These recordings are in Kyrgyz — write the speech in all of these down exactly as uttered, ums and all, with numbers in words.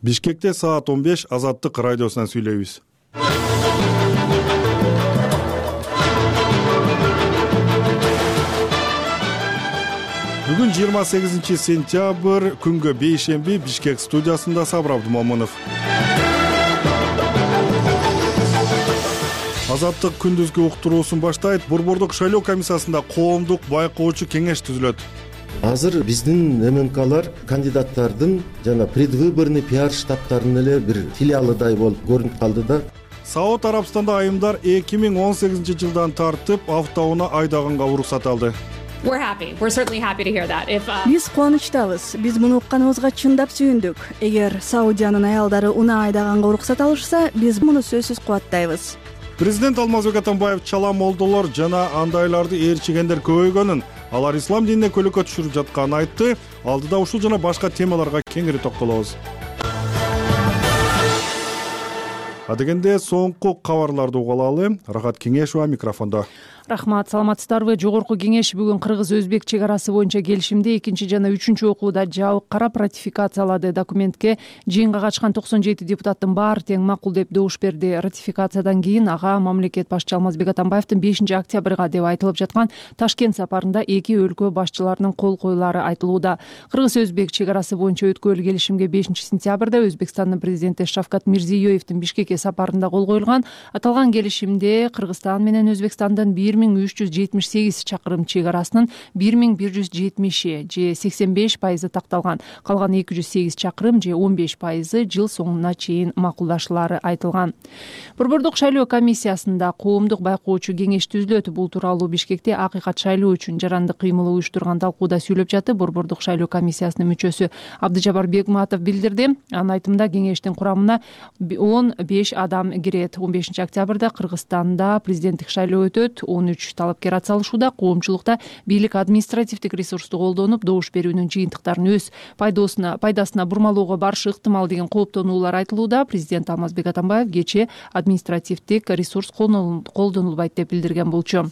Бишкекте саат он беш Азаттык радиосунан сүйлөйбүз. Бүгүн жыйырма сегизинчи сентябрь, күнгө бейшемби, Бишкек студиясында Сабыр Абдумомунов. Азаттык күндүзгү уктуруусун баштайт. Борбордук шайлоо комиссиясында коомдук байкоочу кеңеш түзүлөт. Азыр биздин эм эн калар кандидаттардын жана предвыборный пиар штабтарынын эле бир филиалыдай болуп көрүнүп калды да. Сауд Арабстанда айымдар эки миң он сегизинчи жылдан тартып автоунаа айдаганга уруксат алды. Биз кубанычтабыз. Биз муну укканыбызга чындап сүйүндүк. Эгер Саудиянын аялдары унаа айдаганга уруксат алышса, биз муну сөзсүз кубаттайбыз. Президент Алмазбек Атамбаев чала молдолор жана андайларды ээрчигендер көбөйгөнүн, алар ислам динине көлөкө түшүрүп жатканын айтты. Алдыда ушул жана башка темаларга кеңири токтолобуз. Адегенде соңку кабарларды угулалы. Рахат Кеңешова микрофондо. Рахмат, саламатсыздарбы? Жогорку кеңеш бүгүн Кыргыз-Өзбек чек арасы боюнча келишимди экинчи жана үчүнчү окууда жабык карап ратификациялады. Документке жыйынга катышкан токсон жети депутаттын баары тең макул деп добуш берди. Ратификациядан кийин ага мамлекет башчы Алмазбек Атамбаевдин бешинчи октябрга деп айтылып жаткан Ташкент сапарында эки өлкө башчыларынын кол коюлары айтылууда. Кыргыз-Өзбек чек арасы боюнча өткөрүл келишимге бешинчи сентябрда Өзбекстандын президенти Шавкат Мирзиёевдин Бишкекке сапарында кол коюлган. Аталган келишимде Кыргызстан менен Өзбекстандын бир миң үч жүз жетимиш сегиз чакырым чек арасынын бир миң бир жүз жетимиши же сексен беш пайызы такталган. Калган эки жүз сегиз чакырым же он беш пайызы жыл соңуна чейин макулдашылары айтылган. Борбордук шайлоо комиссиясында коомдук байкоочу кеңеш түзүлөт. Бул тууралуу Бишкекте акыйкат шайлоо үчүн жарандык кыймыл уюштурган талкууда сүйлөп жатты. Борбордук шайлоо комиссиясынын мүчөсү Абдыжабар Бегматов билдирди. Анын айтымында кеңештин курамына он беш адам кирет. он бешинчи октябрда Кыргызстанда президенттик шайлоо өтөт. он үч талапкер атсалышууда. Коомчулукта бийлик административдик ресурсту колдонуп, добуш берүүнүн жыйынтыктарын өз пайдасына пайдасына бурмалоого барышы ыктымал деген кооптонуулар айтылууда. Президент Алмазбек Атамбаев кечээ административдик ресурс колдонулбайт деп билдирген болчу.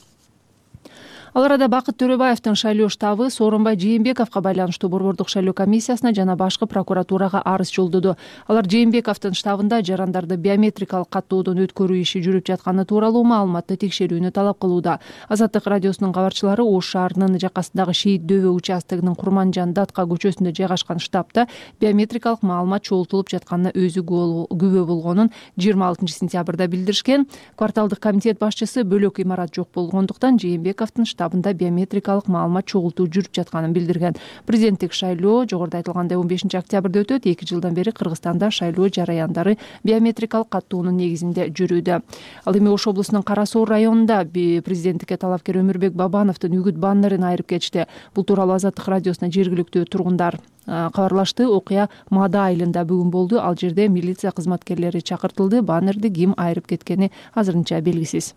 Ал арада Бакыт Төрөбаевдин шайлоо штабы Сооронбай Жээнбековго байланыштуу Борбордук шайлоо комиссиясына жана башкы прокуратурага арыз жолдоду. Алар Жээнбековдун штабында жарандарды биометрикалык каттоодон өткөрүү иши жүрүп жатканы тууралуу маалыматты текшерүүнү талап кылууда. Азаттык радиосунун кабарчылары Ош шаарынын жакасындагы Шейит Дөбө участогунун Курманжан Датка көчөсүндө жайгашкан штабта биометрикалык маалымат чогултулуп жатканына өзү күбө болгонун жыйырма алтынчы сентябрда билдиришкен. Кварталдык комитет башчысы бөлөк имарат жок болгондуктан Жээнбековдун штабында биометрикалык маалымат чогултуу жүрүп жатканын билдирген. Президенттик шайлоо жогоруда айтылгандай он бешинчи октябрда өтөт. эки жылдан бери Кыргызстанда шайлоо жараяндары биометрикалык каттоонун негизинде жүрүүдө. Ал эми Ош облусунун Кара Соор районунда президенттикке талапкер Өмүрбек Бабановдун үгүт баннерин айырып кетишти. Бул тууралуу Азаттык радиосуна жергиликтүү тургундар кабарлашты. Окуя Мада айылында бүгүн болду. Ал жерде милиция кызматкерлери чакыртылды. Баннерди ким айырып кеткени азырынча белгисиз.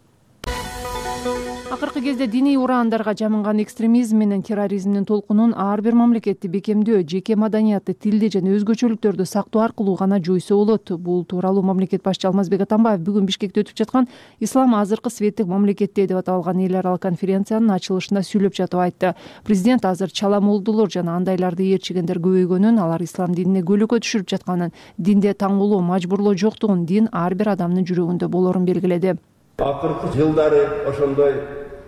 Акыркы кезде диний ураандарга жамынган экстремизм менен терроризмдин толкунун ар бир мамлекетти бекемдөө, жеке маданиятты, тилди жана өзгөчөлүктөрдү сактоо аркылуу гана жойсо болот. Бул тууралуу мамлекет башчы Алмазбек Атамбаев бүгүн Бишкекте өтүп жаткан Ислам азыркы светтик мамлекетте деп аталган эл аралык конференциянын ачылышында сүйлөп жатып айтты. Президент азыр чала молдолор жана андайларды ээрчигендер көбөйгөнүн, алар ислам динине көлөкө түшүрүп жатканын, динде таңгулоо, мажбурлоо жоктугун, дин ар бир адамдын жүрөгүндө болорун белгиледи. Акыркы жылдары ошондой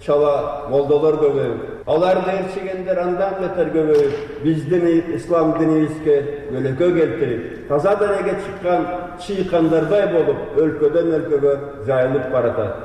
чала молдолор көбөйүп, аларды ээрчигендер андан бетер көбөйүп, биздин ислам динибизге көлөкө келтирип, таза денеге чыккан чыйкандардай болуп, өлкөдөн өлкөгө жайылып баратат.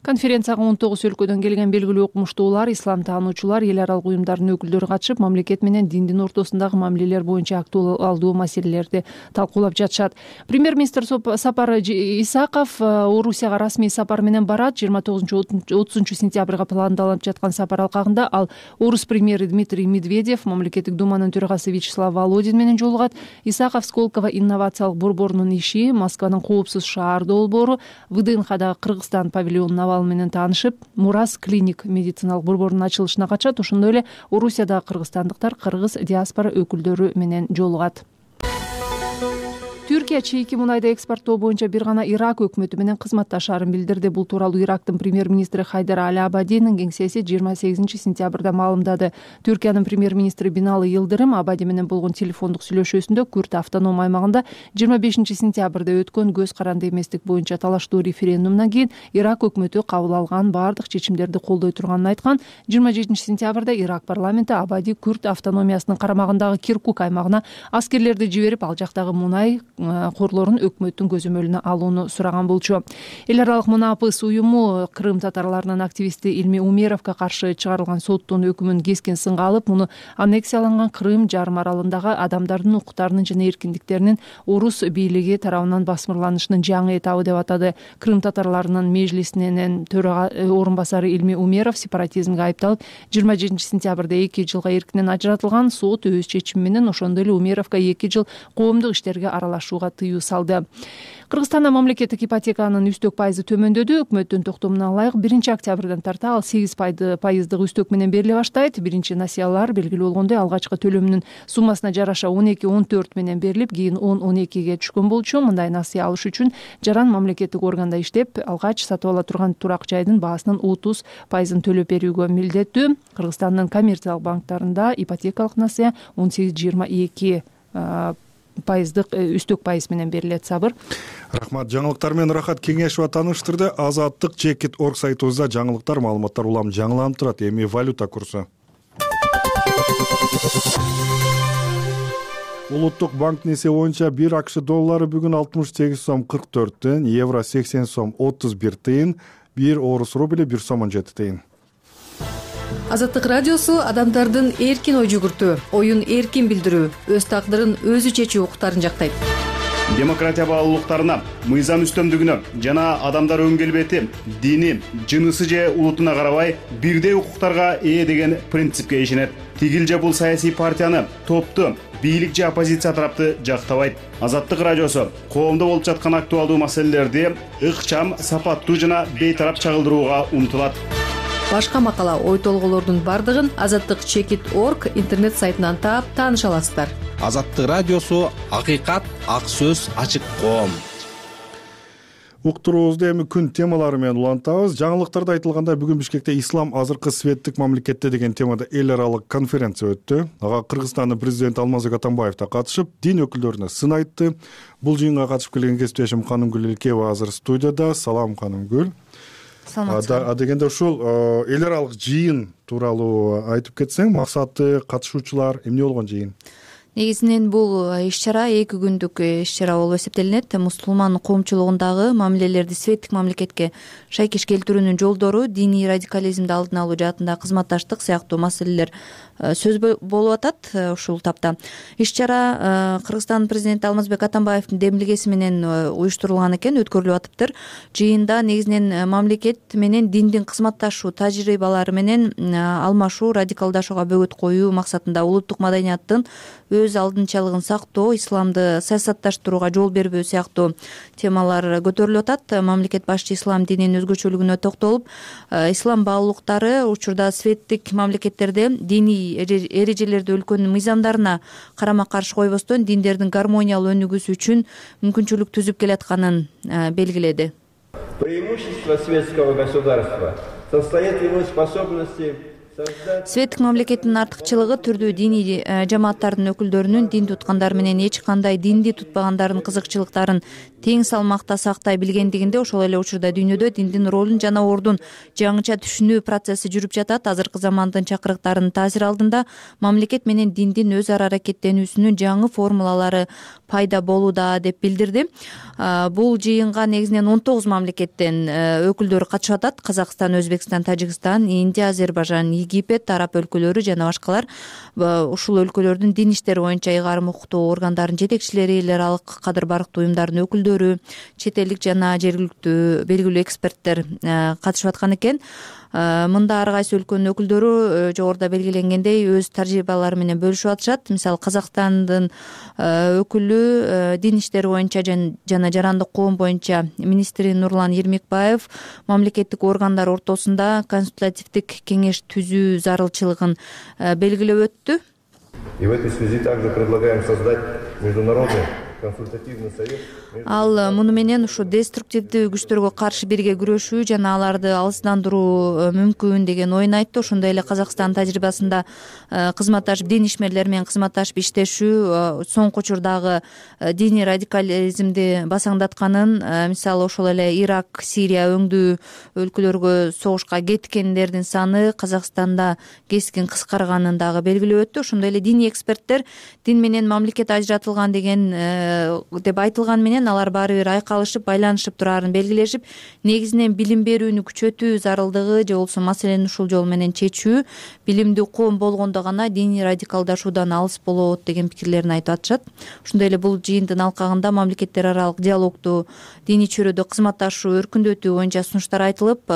Конференцияга он тогуз өлкөдөн келген белгилүү окумуштуулар, ислам таануучулар, эл аралык уюмдардын өкүлдөрү катышып, мамлекет менен диндин ортосундагы мамилелер боюнча актуалдуу маселелерди талкуулап жатышат. Премьер-министр Сапар Исаков Орусияга расмий сапар менен барат. жыйырма тогузунчу отузунчу сентябрга пландалып жаткан сапар алкагында ал орус премьери Дмитрий Медведев, мамлекеттик думанын төрагасы Вячеслав Володин менен жолугат. Исаков Сколково инновациялык борборунун иши, Москванын коопсуз шаар долбоору, ВДНХдагы Кыргызстан павильонун менен таанышып, Мурас клиник медициналык борборунун ачылышына катышат. Ошондой эле Орусиядагы кыргызстандыктар кыргыз диаспора өкүлдөрү менен жолугат. Түр Түркия чийки мунайды экспорттоо боюнча бир гана Ирак өкмөтү менен кызматташаарын билдирди. Бул тууралуу Ирактын премьер-министри Хайдар Аль-Абадинин кеңсеси жыйырма сегизинчи сентябрда маалымдады. Түркиянын премьер-министри Бинали Йылдырым Абади менен болгон телефондук сүйлөшүүсүндө Күрд автоном аймагында жыйырма бешинчи сентябрда өткөн көз каранды эместик боюнча талаштуу референдумдан кийин Ирак өкмөтү кабыл алган баардык чечимдерди колдой турганын айткан. жыйырма жетинчи сентябрда Ирак парламенти Абади Күрд автономиясынын карамагындагы Киркук аймагына аскерлерди жиберип, ал жактагы мунай корлорун өкмөттүн көзөмөлүнө алууну сураган болчу. Эл аралык мунапыс уюму Крым татарларынын активисти Илми Умеровго каршы чыгарылган соттун өкүмүн кескен сынга алып, муну аннексияланган Крым жарым аралындагы адамдардын укуктарынын жана эркиндиктеринин орус бийлиги тарабынан басмырланышынын жаңы этабы деп атады. Крым татарларынын межлисинин төрага орун басары Илми Умеров сепаратизмге айыпталып, жыйырма жетинчи сентябрда эки жылга эркинен ажыратылган. Сот өз чечими менен ошондой эле Умеровго эки жыл коомдук иштерге аралашууга тыюу салды. Кыргызстанда мамлекеттик ипотеканын үстөк пайызы төмөндөдү. Өкмөттүн токтомуна ылайык биринчи октябрдан тарта ал сегиз пайыздык үстөк менен бериле баштайт. Биринчи насыялар белгилүү болгондой алгачкы төлөмүнүн суммасына жараша он эки он төрт менен берилип, кийин он он экиге түшкөн болчу. Мындай насыя алыш үчүн жаран мамлекеттик органда иштеп, алгач сатып ала турган турак жайдын баасынын отуз пайызын төлөп берүүгө милдеттүү. Кыргызстандын коммерциялык банктарында ипотекалык насыя он сегиз жыйырма эки пайыздык үстөк пайыз менен берилет. Сабыр. Рахмат. Жаңылыктар менен Рахат Кеңешова тааныштырды. Азаттык Чекит орг сайтыбызда жаңылыктар, маалыматтар улам жаңыланып турат. Эми валюта курсу. Улуттук банктын эсеби боюнча бир акш доллары бүгүн алтымыш сегиз сом кырк төрт тыйын, евро сексен сом отуз бир тыйын, бир орус рубли бир сом он жети тыйын. Азаттык радиосу адамдардын эркин ой жүгүртүү, оюн эркин билдирүү, өз тагдырын өзү чечүү укуктарын жактайт. Демократия баалуулуктарына, мыйзам үстөмдүгүнө жана адамдар өн келбети, дини, жынысы же улутуна карабай бирдей укуктарга ээ деген принципке ишенет. Тигил же бул саясий партияны, топту, бийлик же оппозиция тарапты жактабайт. Азаттык радиосу коомдо болуп жаткан актуалдуу маселелерди ыкчам, сапаттуу жана бейтарап чагылдырууга умтулат. Башка макала, ой толголордун бардыгын азаттык чекит орг интернет сайтынан таап тааныша аласыздар. Азаттык радиосу акыйкат, ак сөз, ачык коом. Уктуруубузду эми күн темалары менен улантабыз. Жаңылыктарда айтылгандай, бүгүн Бишкекте ислам азыркы светтик мамлекетте деген темада эл аралык конференция өттү. Ага Кыргызстандын президенти Алмазбек Атамбаев да катышып, дин өкүлдөрүнө сын айтты. Бул жыйынга катышып келген кесиптешим Канымгүл Илкеева азыр студияда. Салам, Канымгүл. А дегенде ушул эл аралык жыйын тууралуу айтып кетсең, максаты, катышуучулар эмне болгон жыйын? Негизинен бул иш-чара эки күндүк иш-чара болуп эсептелинет. Мусулман коомчулугундагы мамилелерди светтик мамлекетке шайкеш келтирүүнүн жолдору, диний радикализмди алдын алуу жаатында кызматташтык сыяктуу маселелер сөз болуп атат ушул тапта. Иш-чара Кыргызстан президенти Алмазбек Атамбаевдин демилгеси менен уюштурулган экен, өткөрүлүп атыптыр. Жыйында негизинен мамлекет менен диндин кызматташуу тажрыйбалары менен алмашуу, радикалдашууга бөгөт коюу максатында улуттук маданияттын өз алдынчалыгын сактоо, исламды саясатташтырууга жол бербөө сыяктуу темалар көтөрүлүп атат. Мамлекет башчы ислам дининин өзгөчөлүгүнө токтолуп, ислам баалуулуктары учурда светтик мамлекеттерде диний эрежелерди өлкөнүн мыйзамдарына карама каршы койбостон диндердин гармониялуу өнүгүүсү үчүн мүмкүнчүлүк түзүп келатканын белгиледи. Преимущество светского государства состоит в его способности. Светтик мамлекеттин артыкчылыгы түрдүү диний жамааттардын өкүлдөрүнүн дин туткандар менен эч кандай динди тутпагандардын кызыкчылыктарын тең салмакта сактай билгендигинде, ошол эле учурда дүйнөдө диндин ролун жана ордун жаңыча түшүнүү процесси жүрүп жатат. Азыркы замандын чакырыктарынын таасири алдында мамлекет менен диндин өз ара аракеттенүүсүнүн жаңы формулалары пайда болууда деп билдирди. Бул жыйынга негизинен он тогуз мамлекеттен өкүлдөр катышып атат. Казакстан, Өзбекстан, Тажикстан, Индия, Азербайжан, Египет, араб өлкөлөрү жана башкалар. Ушул өлкөлөрдүн дин иштери боюнча ыйгарым укуктуу органдарынын жетекчилери, эл аралык кадыр барктуу уюмдардын өкүлдөрү, чет элдик жана жергиликтүү белгилүү эксперттер катышып аткан экен. Мында ар кайсы өлкөнүн өкүлдөрү жогоруда белгиленгендей өз тажрыйбалары менен бөлүшүп атышат. Мисалы, Казакстандын өкүлү дин иштери боюнча жана жарандык коом боюнча министри Нурлан Ермекбаев мамлекеттик органдар ортосунда консультативдик кеңеш түзүү зарылчылыгын белгилеп өттү. И в этой связи также предлагаем создать международный консультативный совет. Ал муну менен ушу деструктивдүү күчтөргө каршы бирге күрөшүү жана аларды алыстандыруу мүмкүн деген оюн айтты. Ошондой эле Казакстан тажрыйбасында кызматташып дин ишмерлери менен кызматташып иштешүү соңку учурдагы диний радикализмди басаңдатканын, мисалы ошол эле Ирак, Сирия өңдүү өлкөлөргө согушка кеткендердин саны Казакстанда кескин кыскарганын дагы белгилеп өттү. Ошондой эле диний эксперттер дин менен мамлекет ажыратылган деген деп айтылган менен алар баары бир айкалышып, байланышып турарын белгилешип, негизинен билим берүүнү күчөтүү зарылдыгы же болбосо маселени ушул жол менен чечүү, билимдүү коом болгондо гана диний радикалдашуудан алыс болот деген пикирлерин айтып атышат. Ошондой эле бул жыйындын алкагында мамлекеттер аралык диалогду, диний чөйрөдө кызматташуу өркүндөтүү боюнча сунуштар айтылып,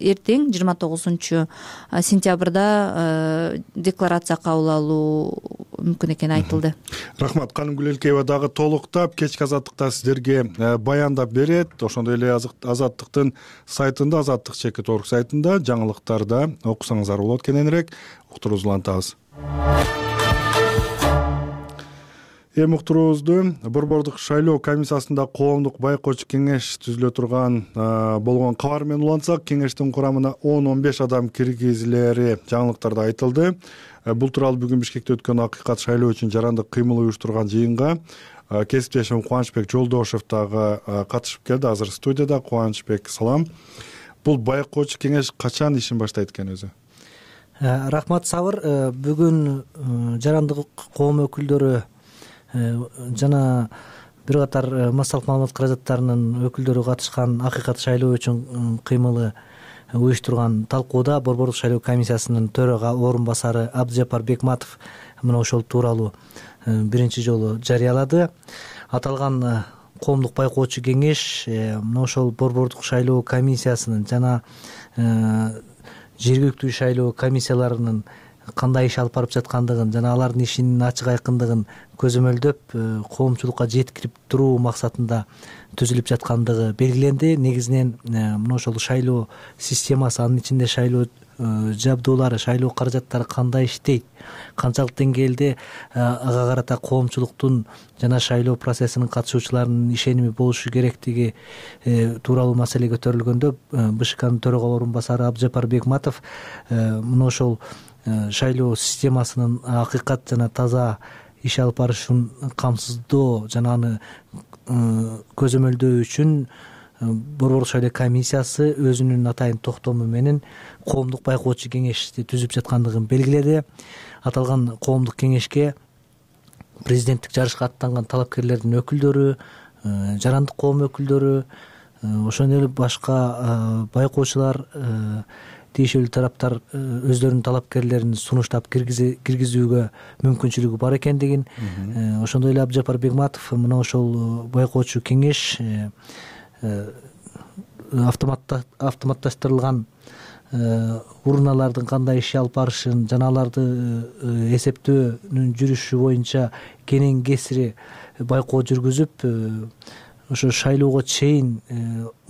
эртең жыйырма тогузунчу сентябрда декларация кабыл алуу мүмкүн экени айтылды. Рахмат. Канымгүл Элкеева дагы толуктап кечки азаттыкта сиздерге баяндап берет. Ошондой эле Азаттыктын сайтында, Азаттык чекит орг сайтында жаңылыктарда окусаңыздар болот. Кененирээк уктуруубузду улантабыз. Эми уктуруубузду Борбордук шайлоо комиссиясында коомдук байкоочу кеңеш түзүлө турган болгон кабар менен улантсак, кеңештин курамына он он беш адам киргизилери жаңылыктарда айтылды. Бул тууралуу бүгүн Бишкекте өткөн Акыйкат шайлоо үчүн жарандык кыймыл уюштурган жыйынга кесиптешим Кубанычбек Жолдошев дагы катышып келди. Азыр студияда. Кубанычбек, салам. Бул байкоочу кеңеш качан ишин баштайт экен өзү? Рахмат, Сабыр. Бүгүн жарандык коом өкүлдөрү жана бир катар массалык маалымат каражаттарынын өкүлдөрү катышкан Акыйкат шайлоо үчүн кыймылы уюштурган талкууда Борбордук шайлоо комиссиясынын төрага орун басары Абдыжапар Бекматов мына ошол тууралуу биринчи жолу жарыялады. Аталган коомдук байкоочу кеңеш мына ошол Борбордук шайлоо комиссиясынын жана жергиликтүү шайлоо комиссияларынын кандай иш алып барып жаткандыгын жана алардын ишинин ачык айкындыгын көзөмөлдөп коомчулукка жеткирип туруу максатында түзүлүп жаткандыгы белгиленди. Негизинен мына ошол шайлоо системасы, анын ичинде шайлоо жабдуулары, шайлоо каражаттары кандай иштейт, канчалык деңгээлде ага карата коомчулуктун жана шайлоо процессинин катышуучуларынын ишеними болушу керектиги тууралуу маселе көтөрүлгөндө БШКнын төрага орун басары Абдыжапар Бекматов мына ошол шайлоо системасынын акыйкат жана таза иш алып барышын камсыздоо жана аны көзөмөлдөө үчүн Борбордук шайлоо комиссиясы өзүнүн атайын токтому менен коомдук байкоочу кеңешти түзүп жаткандыгын белгиледи. Аталган коомдук кеңешке президенттик жарышка аттанган талапкерлердин өкүлдөрү, жарандык коом өкүлдөрү, ошондой эле башка байкоочулар, тиешелүү тараптар өздөрүнүн талапкерлерин сунуштап киргизүүгө мүмкүнчүлүгү бар экендигин, ошондой эле Абдыжапар Бекматов мына ошол байкоочу кеңеш автоматташтырылган урналардын кандай иш алып барышын жана аларды эсептөөнүн жүрүшү боюнча кенен кесири байкоо жүргүзүп, ошо шайлоого чейин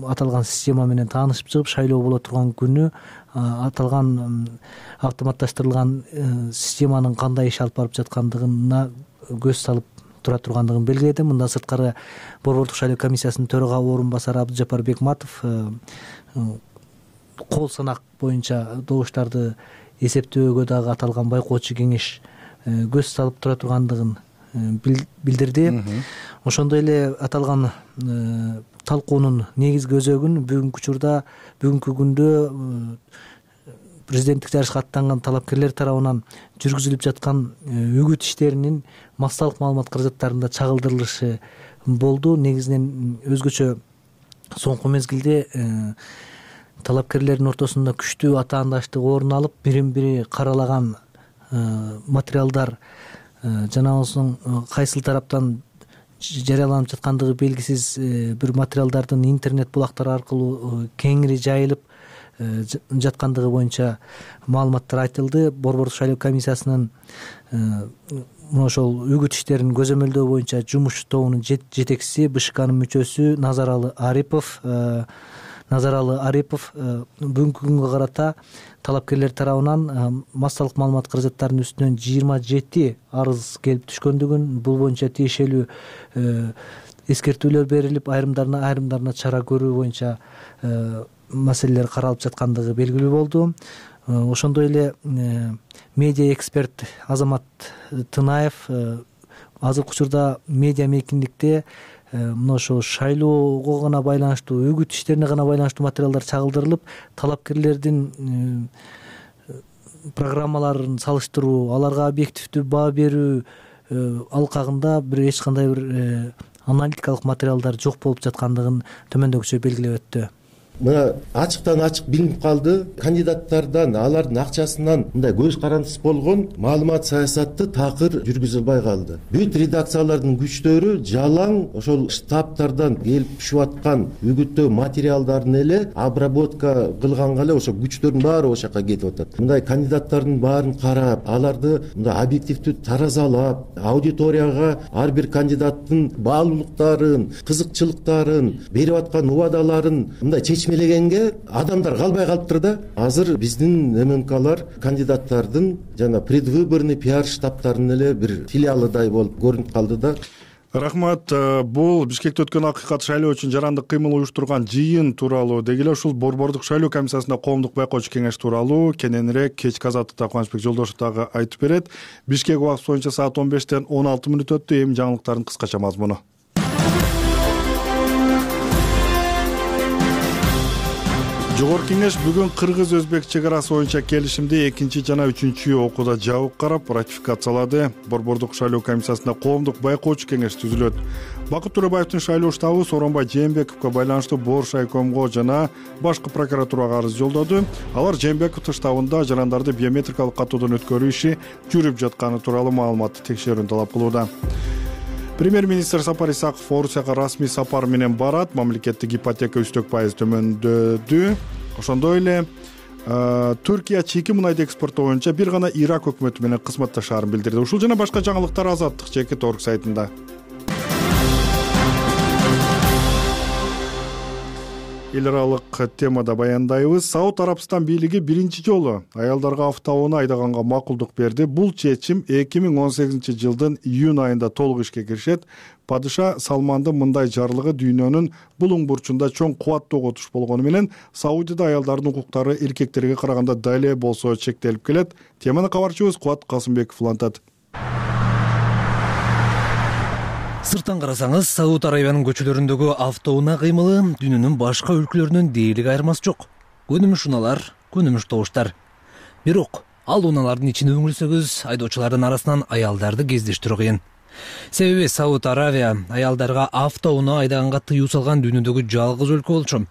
аталган система менен таанышып чыгып, шайлоо боло турган күнү аталган автоматташтырылган системанын кандай иш алып барып жаткандыгына көз салып тура тургандыгын белгиледи. Мындан сырткары Борбордук шайлоо комиссиясынын төрага орун басары Абдыжапар Бекматов кол санак боюнча добуштарды эсептөөгө дагы аталган байкоочу кеңеш көз салып тура тургандыгын билдирди. Ошондой эле аталган талкуунун негизги өзөгүн бүгүнкү учурда, бүгүнкү күндө президенттик жарышка аттанган талапкерлер тарабынан жүргүзүлүп жаткан үгүт иштеринин массалык маалымат каражаттарында чагылдырылышы болду. Негизинен өзгөчө соңку мезгилде талапкерлердин ортосунда күчтүү атаандаштык орун алып, бирин бири каралаган материалдар жана осунун кайсыл тараптан жарыяланып жаткандыгы белгисиз бир материалдардын интернет булактары аркылуу кеңири жайылып жаткандыгы боюнча маалыматтар айтылды. Борбордук шайлоо комиссиясынын мына ошол үгүт иштерин көзөмөлдөө боюнча жумуш тобунун жетекчиси, БШКнын мүчөсү Назаралы Арипов Назаралы Арипов бүгүнкү күнгө карата талапкерлер тарабынан массалык маалымат каражаттарынын үстүнөн жыйырма жети арыз келип түшкөндүгүн, бул боюнча тиешелүү эскертүүлөр берилип, айрымдарына айрымдарына чара көрүү боюнча маселелер каралып жаткандыгы белгилүү болду. Ошондой эле медиа эксперт Азамат Тынаев азыркы учурда медиа мейкиндикте мына ошо шайлоого гана байланыштуу, үгүт иштерине гана байланыштуу материалдар чагылдырылып, талапкерлердин программаларын салыштыруу, аларга объективдүү баа берүү алкагында бир эч кандай бир аналитикалык материалдар жок болуп жаткандыгын төмөндөгүчө белгилеп өттү. Мына ачыктан ачык билинип калды, кандидаттардан, алардын акчасынан мындай көз карандысыз болгон маалымат саясатты такыр жүргүзүлбөй калды. Бүт редакциялардын күчтөрү жалаң ошол штабтардан келип түшүп аткан үгүттөө материалдарын эле обработка кылганга эле ошо күчтөрдүн баары ошол жака кетип атат. Мындай кандидаттардын баарын карап, аларды мындай объективдүү таразалап, аудиторияга ар бир кандидаттын баалуулуктарын, кызыкчылыктарын, берип аткан убадаларын мындай чечмелегенге адамдар калбай калыптыр да. Азыр биздин МНКлар кандидаттардын жана предвыборный пиар штабтарынын эле бир филиалыдай болуп көрүнүп калды да. Рахмат. Бул Бишкекте өткөн акыйкат шайлоо үчүн жарандык кыймыл уюштурган жыйын тууралуу деги эле ушул Борбордук шайлоо комиссиясында коомдук байкоочу кеңеш тууралуу кененирээк кечки азаттыкта Кубанычбек Жолдошев дагы айтып берет. Бишкек убакыты боюнча саат он бештен он алты мүнөт өттү. Эми жаңылыктардын кыскача мазмуну. Жогорку кеңеш бүгүн кыргыз-өзбек чек арасы боюнча келишимди экинчи жана үчүнчү окууда жабык карап ратификациялады. Борбордук шайлоо комиссиясында коомдук байкоочу кеңеш түзүлөт. Бакыт Төрөбаевдин шайлоо штабы Сооронбай Жээнбековго байланыштуу Борш айкомго жана башкы прокуратурага арыз жолдоду. Алар Жээнбековдун штабында жарандарды биометрикалык катуудон өткөрүү иши жүрүп жатканы тууралуу маалыматты текшерүүнү талап кылууда. Премьер-министр Сапар Исаков Орусияга расмий сапар менен барат. Мамлекеттик ипотека үстөк пайыз төмөндөдү. Ошондой эле Түркия чийки мунайды экспорттоо боюнча бир гана Ирак өкмөтү менен кызматташаарын билдирди. Ушул жана башка жаңылыктар Азаттык Чекит орг сайтында. Эл аралык темада баяндайбыз. Сауд Арабстан бийлиги биринчи жолу аялдарга автоунаа айдаганга макулдук берди. Бул чечим эки миң он сегизинчи жылдын июнь айында толук ишке киришет. Падыша Салмандын мындай жарлыгы дүйнөнүн булуң бурчунда чоң кубаттуу отуш болгону менен Саудияда аялдардын укуктары эркектерге караганда да эле болсо чектелип келет. Теманы кабарчыбыз Кубат Касымбеков улантат. Сырттан карасаңыз, Сауд Арабиянын көчөлөрүндөгү автоунаа кыймылы дүйнөнүн башка өлкөлөрүнөн дээрлик айырмасы жок. Көнүмүш унаалар, көнүмүш добуштар. Бирок ал унаалардын ичине үңүлсөгүз, айдоочулардын арасынан аялдарды кездештирүү кыйын. Себеби Сауд Арабия аялдарга автоунаа айдаганга тыюу салган дүйнөдөгү жалгыз өлкө болчу.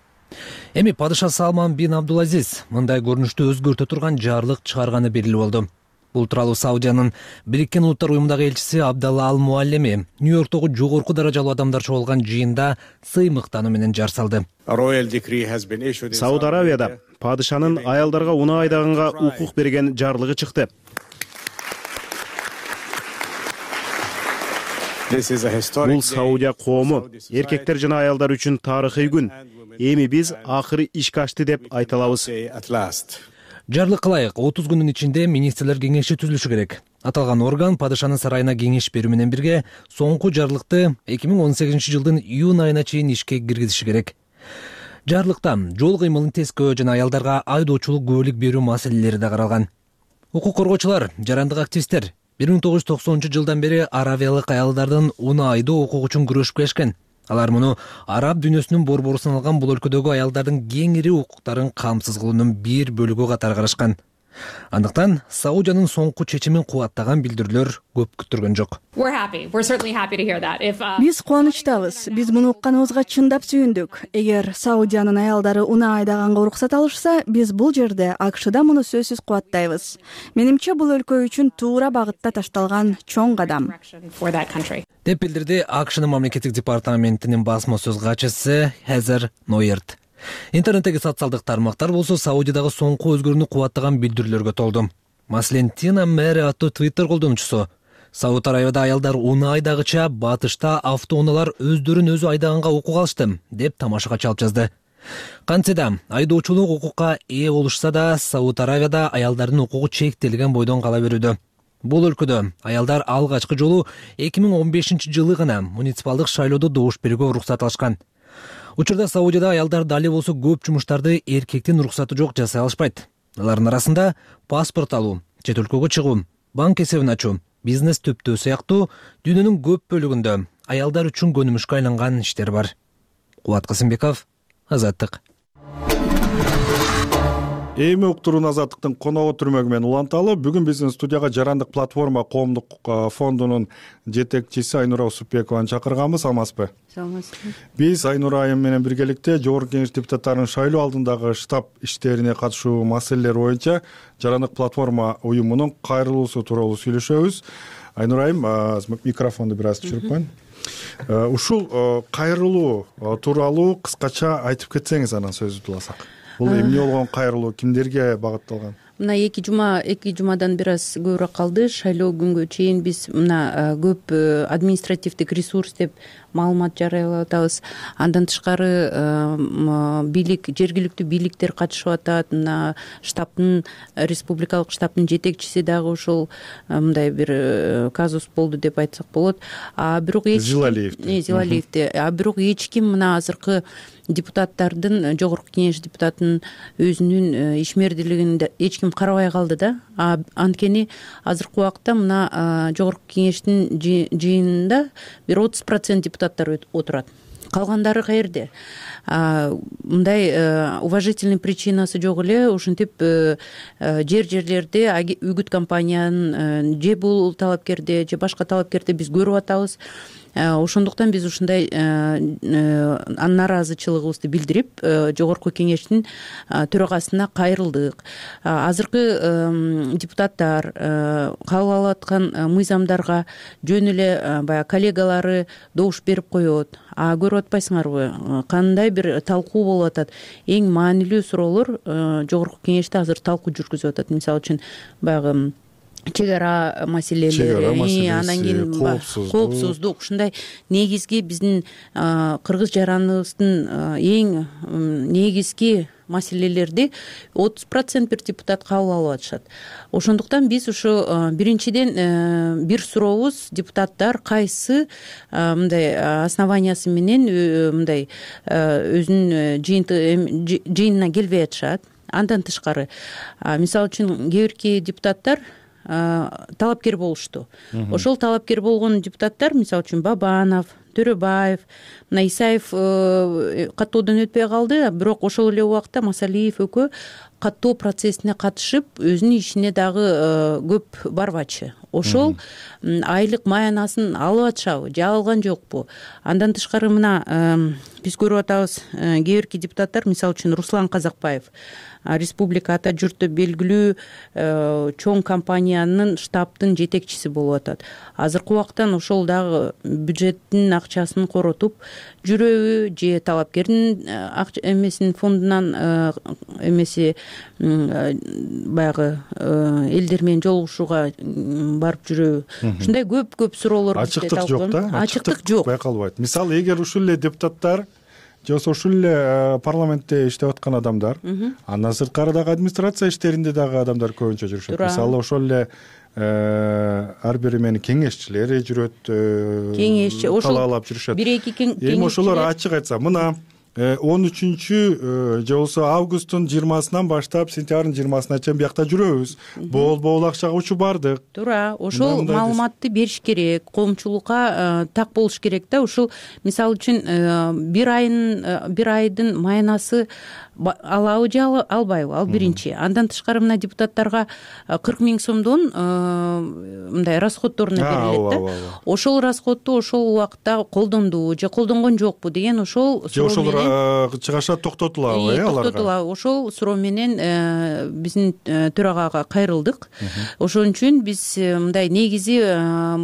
Эми падыша Салман бин Абдулазиз мындай көрүнүштү өзгөртө турган жарлык чыгарганы белгилүү болду. Бул тууралуу Саудиянын Бириккен Улуттар уюмундагы элчиси Абдалла Ал Муаллеми Нью-Йорктогу жогорку даражалуу адамдар чогулган жыйында сыймыктануу менен жар салды. Сауд Арабияда падышанын аялдарга унаа айдаганга укук берген жарлыгы чыкты. Бул Саудия коому, эркектер жана аялдар үчүн тарыхый күн. Эми биз акыры ишке ашты деп айта алабыз. Жарлыкка ылайык отуз күндүн ичинде министрлер кеңеши түзүлүшү керек. Аталган орган падышанын сарайына кеңеш берүү менен бирге соңку жарлыкты эки миң он сегизинчи жылдын июнь айына чейин ишке киргизиши керек. Жарлыкта жол кыймылын тескөө жана аялдарга айдоочулук күбөлүк берүү маселелери да каралган. Укук коргоочулар, жарандык активисттер бир миң тогуз жүз токсонунчу жылдан бери аравиялык аялдардын унаа айдоо укугу үчүн күрөшүп келишкен. Алар муну араб дүйнөсүнүн борбору саналган бул өлкөдөгү аялдардын кеңири укуктарын камсыз кылуунун бир бөлүгү катары карашкан. Андыктан Саудиянын соңку чечимин кубаттаган билдирүүлөр көп күттүргөн жок. Биз кубанычтабыз. Биз муну укканыбызга чындап сүйүндүк. Эгер Саудиянын аялдары унаа айдаганга уруксат алышса, биз бул жерде АКШда муну сөзсүз кубаттайбыз. Менимче бул өлкө үчүн туура багытта ташталган чоң кадам. Деп билдирди АКШнын мамлекеттик департаментинин басма сөз катчысы Хезер Нойерт. Интернеттеги социалдык тармактар болсо Саудиядагы соңку өзгөрүүнү кубаттаган билдирүүлөргө толду. Маселен, Тина Мэри аттуу Twitter колдонуучусу Сауд Арабияда аялдар унаа айдагыча батышта автоунаалар өздөрүн өзү айдаганга укук алышты деп тамашага чалып жазды. Кантсе да айдоочулук укукка ээ болушса да, Сауд Аравияда аялдардын укугу чектелген бойдон кала берүүдө. Бул өлкөдө аялдар алгачкы жолу эки миң он бешинчи жылы гана муниципалдык шайлоодо добуш берүүгө уруксат алышкан. Учурда Саудияда аялдар дали болсо көп жумуштарды эркектин уруксаты жок жасай алышпайт. Алардын арасында паспорт алуу, чет өлкөгө чыгуу, банк эсебин ачуу, бизнес төптөө сыяктуу дүйнөнүн көп бөлүгүндө аялдар үчүн көнүмүшкө айланган иштер бар. Кубат Касымбеков, Азаттык. Эми уктуруун Азаттыктын коногу түрмөгү менен уланталы. Бүгүн биздин студияга Жарандык платформа коомдук фондунун жетекчиси Айнура Усупбекованы чакырганбыз. Саламатсызбы? Саламатсызбы. Биз Айнура айым менен биргеликте Жогорку Кеңеш депутаттарынын шайлоо алдындагы штаб иштерине катышуу маселелери боюнча Жарандык платформа уюмунун кайрылуусу тууралуу сүйлөшөбүз. Айнура айым, микрофонду бир аз түшүрүп коеюн. Ушул кайрылуу тууралуу кыскача айтып кетсеңиз, анан сөздү уласак. Бул эмне болгон кайрылуу, кимдерге багытталган? Мына эки жума эки жумадан бир аз көбүрөөк калды. Шайлоо күнгө чейин биз мына көп административдик ресурс деп маалымат жарыялап атабыз. Андан тышкары бийлик, жергиликтүү бийликтер катышып атат. Мына штабтын, республикалык штабтын жетекчиси дагы ошол мындай бир казус болду деп айтсак болот. А бирок эч Зилалиевди. Зилалиевди. А бирок эч ким мына азыркы депутаттардын, Жогорку Кеңеш депутатынын өзүнүн ишмердүүлүгүн эч ким карабай калды да. Анткени азыркы убакта мына Жогорку Кеңештин жыйынында бир отуз процент депутаттар отурат. Калгандары каерде? Мындай уважительный причинасы жок эле, ушинтип жер жерлерде үгүт компаниянын же бул талапкерде, же башка талапкерде биз көрүп атабыз. Ошондуктан биз ушундай нааразычылыгыбызды билдирип, Жогорку Кеңештин төрагасына кайрылдык. Азыркы депутаттар кабыл алып аткан мыйзамдарга жөн эле баягы коллегалары добуш берип коет. А көрүп атпайсыңарбы, кандай бир талкуу болуп атат. Эң маанилүү суроолор Жогорку Кеңеште азыр талкуу жүргүзүп атат. Мисалы үчүн баягы чек ара маселелери, андан кийин коопсуздук, ушундай негизги биздин кыргыз жараныбыздын эң негизги маселелерди отуз процент бир депутат кабыл алып атышат. Ошондуктан биз ушу биринчиден бир сурообуз, депутаттар кайсы мындай основаниясы менен мындай өзүнүн жыйынына келбей атышат. Андан тышкары, мисалы үчүн кээ бирки депутаттар талапкер болушту. Ошол талапкер болгон депутаттар, мисалы үчүн Бабанов, Төрөбаев, мына Исаев каттоодон өтпөй калды, бирок ошол эле убакта Масалиев экөө каттоо процессине катышып, өзүнүн ишине дагы көп барбачы. Ошол айлык маянасын алып атышабы, же алган жокпу? Андан тышкары мына биз көрүп атабыз, кээ бирки депутаттар, мисалы үчүн Руслан Казакбаев, республика ата журтта белгилүү чоң компаниянын штабтын жетекчиси болуп атат. Азыркы убактан ошол дагы бюджеттин акчасын коротуп жүрөбү, же талапкердин эмесин фондунан эмеси баягы элдер менен жолугушууга барып жүрөбү. Ушундай көп-көп суроолор ачыктык жок да, ачыктык жок байкалбайт. Мисалы, эгер ушул эле депутаттар же болбосо ушул эле парламентте иштеп аткан адамдар, андан сырткары дагы администрация иштеринде дагы адамдар көбүнчө жүрүшөт. Мисалы, ошол эле ар бири менин кеңешчилери жүрөт, кеңешчи талаалап жүрүшөт. бир эки кеңешчилер. Эми ошолор ачык айтса, мына он үчүнчү же болбосо августтун жыйырмасынан баштап сентябрдын жыйырмасына чейин биякта жүрөбүз. Бол-бол акчага учуп бардык. Туура, ошол маалыматты бериш керек, коомчулукка так болуш керек да. Ушул мисалы үчүн бир айын бир айдын маянасы алабы же албайбы? Ал биринчи. Андан тышкары мына депутаттарга кырк миң сомдон мындай расходторуна берилет да. Ошол расходду ошол убакта колдонду же колдонгон жокпу деген ошол суроо менен чыгашат токтотулабы, э, аларга? Токтотулабы. Ошол суроо менен биздин төрагага кайрылдык. Ошон үчүн биз мындай негизи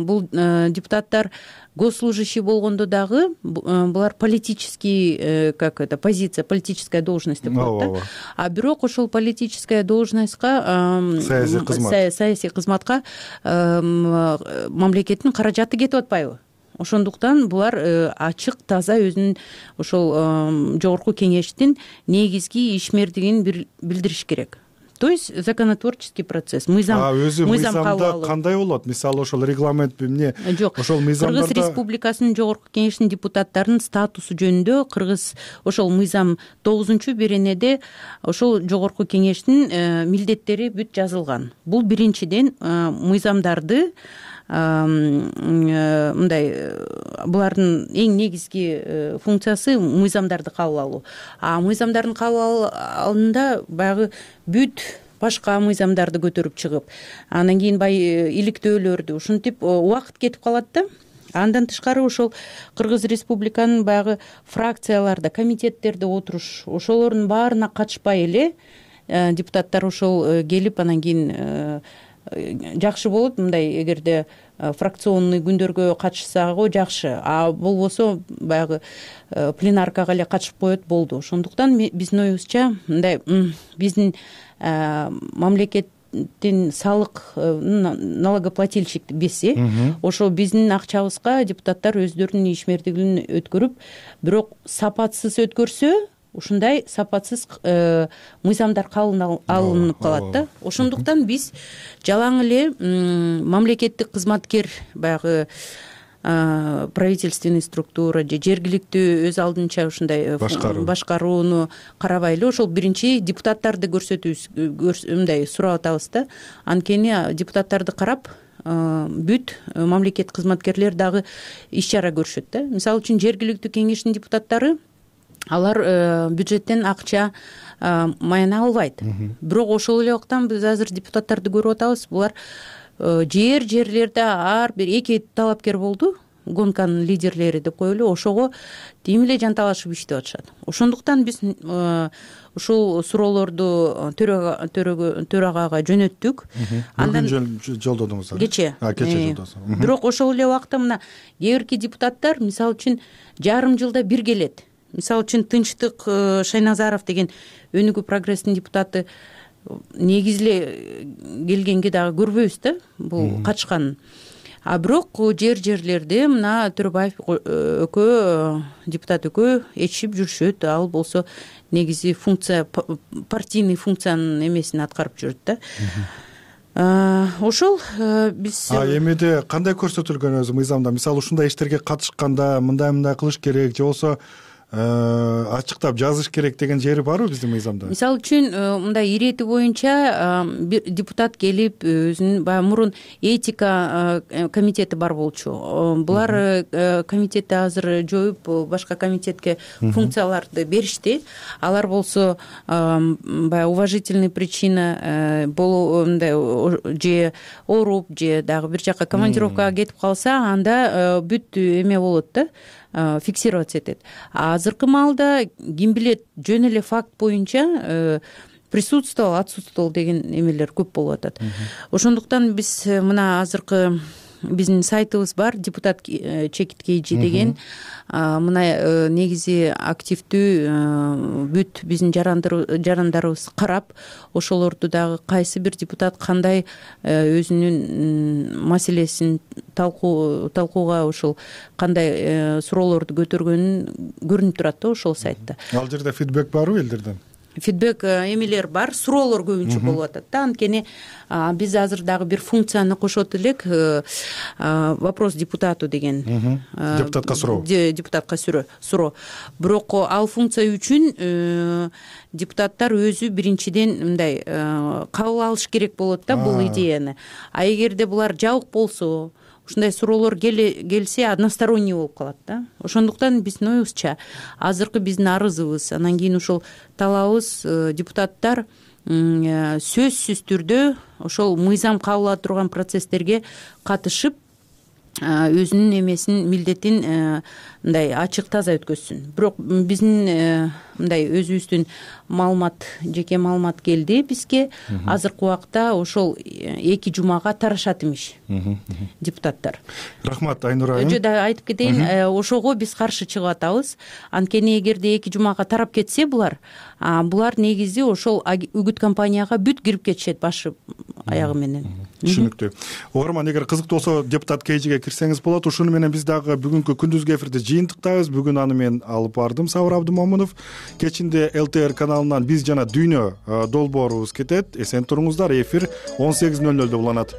бул депутаттар госслужащий болгондо дагы булар политический, как это, позиция, политическая должность деп коет да. А бирок ошол политическая должностька, саясий кызмат, саясий кызматка мамлекеттин каражаты кетип атпайбы? ошондуктан булар ачык таза өзүнүн ошол жогорку кеңештин негизги ишмердигин билдириш керек. То есть законотворческий процесс, мыйзам өзү мыйзамда кандай болот? Мисалы ошол регламент эмне? Жок, ошол мыйзамдарда Кыргыз Республикасынын жогорку кеңешинин депутаттарынын статусу жөнүндө Кыргыз ошол мыйзам тогузунчу беренеде ошол жогорку кеңештин милдеттери бүт жазылган. Бул биринчиден мыйзамдарды мындай булардын эң негизги функциясы мыйзамдарды кабыл алуу. А мыйзамдардын кабыл алуунда баягы бүт башка мыйзамдарды көтөрүп чыгып, анан кийин баягы иликтөөлөрдү ушинтип убакыт кетип калат да. Андан тышкары ошол Кыргыз Республиканын баягы фракцияларда, комитеттерде отуруш, ошолордун баарына катышпай эле депутаттар ошол келип анан кийин жакшы болот мындай, эгерде фракционный күндөргө катышсагы жакшы, а болбосо баягы пленаркага эле катышып коет болду. Ошондуктан биздин оюбузча мындай биздин мамлекеттин салык налогоплательщик бесе, ошо биздин акчабызга депутаттар өздөрүнүн ишмердигин өткөрүп, бирок сапатсыз өткөрсө ушундай сапатсыз мыйзамдар кабыл алынып калат да. Ошондуктан биз жалаң эле мамлекеттик кызматкер баягы правительственный структура же жергиликтүү өз алдынча ушундай башкарууну карабай эле ошол биринчи депутаттарды көрсөтүүбүз мындай сурап атабыз да. Анткени депутаттарды карап бүт мамлекеттик кызматкерлер дагы иш чара көрүшөт да. Мисалы үчүн жергиликтүү кеңештин депутаттары алар бюджеттен акча маяна албайт. Бирок ошол эле убакта биз азыр депутаттарды көрүп атабыз. Булар жер жерлерде ар бир эки талапкер болду, гонканын лидерлери деп коелу, ошого тим эле жанталашып иштеп атышат. Ошондуктан биз ушул суроолорду төрагага жөнөттүк. Андан жолдодуңуз? Кече. Кече жолдосуң. Бирок ошол эле убакта мына кээ бирки депутаттар мисалы үчүн жарым жылда бир келет. Мисалы үчүн Тынчтык Шайназаров деген Өнүгүү прогресстин депутаты негизи эле келгенге дагы көрбөйбүз да бул катышканын. А бирок жер жерлерде мына Төрөбаев экөө депутат экөө ээрчишип жүрүшөт. Ал болсо негизи функция партийный функциянын эмесин аткарып жүрөт да. Ошол биз эмеде кандай көрсөтүлгөн өзү мыйзамда? Мисалы ушундай иштерге катышканда мындай мындай кылыш керек же болсо ачыктап жазыш керек деген жери барбы биздин мыйзамда? Мисалы үчүн мындай ирети боюнча депутат келип өзүнүн баягы мурун этика комитети бар болчу. Булар комитетти азыр жоюп башка комитетке функцияларды беришти. Алар болсо баягы уважительный причина болуу мындай же ооруп же дагы бир жака командировкага кетип калса, анда бүт эме болот да, фиксироваться этет. А азыркы маалда ким билет жөн эле факт боюнча присутствовал, отсутствовал деген эмелер көп болуп атат. Ошондуктан биз мына азыркы биздин сайтыбыз бар, депутат чекит кейжи деген. Мына негизи активдүү бүт биздин жарандарыбыз карап, ошолорду дагы кайсы бир депутат кандай өзүнүн маселесин талкууга ошол кандай суроолорду көтөргөнүн көрүнүп турат да ошол сайтта. Ал жерде фидбек барбы элдерден? Фидбек эмелер бар, суроолор көбүнчө болуп атат да. Анткени биз азыр дагы бир функцияны кошот элек, вопрос депутату деген. Депутатка суроо. Депутатка суроо. Бирок ал функция үчүн депутаттар өзү биринчиден мындай кабыл алыш керек болот да бул идеяны. А эгерде булар жабык болсо, ушундай суроолор келсе односторонний болуп калат да. Ошондуктан биздин оюбузча азыркы биздин арызыбыз, анан кийин ушул талабыбыз депутаттар сөзсүз түрдө ошол мыйзам кабыл ала турган процесстерге катышып өзүнүн эмесин, милдетин мындай ачык таза өткөзсүн. Бирок биздин мындай өзүбүздүн маалымат, жеке маалымат келди бизге. Азыркы убакта ошол эки жумага тарашат имиш депутаттар. Рахмат, Айнура айым. Жо да айтып кетейин, ошого биз каршы чыгып атабыз. Анткени эгерде эки жумага тарап кетсе булар, булар негизи ошол үгүт компанияга бүт кирип кетишет, башы аягы менен. Түшүнүктүү. Угарман, эгер кызыктуу болсо депутат кейжиге кирсеңиз болот. Ушуну менен биз дагы бүгүнкү күндүзгү эфирди жыйынтыктайбыз. Бүгүн аны мен алып бардым, Сабыр Абдымомунов. Кечинде эл тэ эр каналынан биз жана дүйнө долбоорубуз кетет. Эсен туруңуздар. Эфир он сегиз ноль нолдо уланат.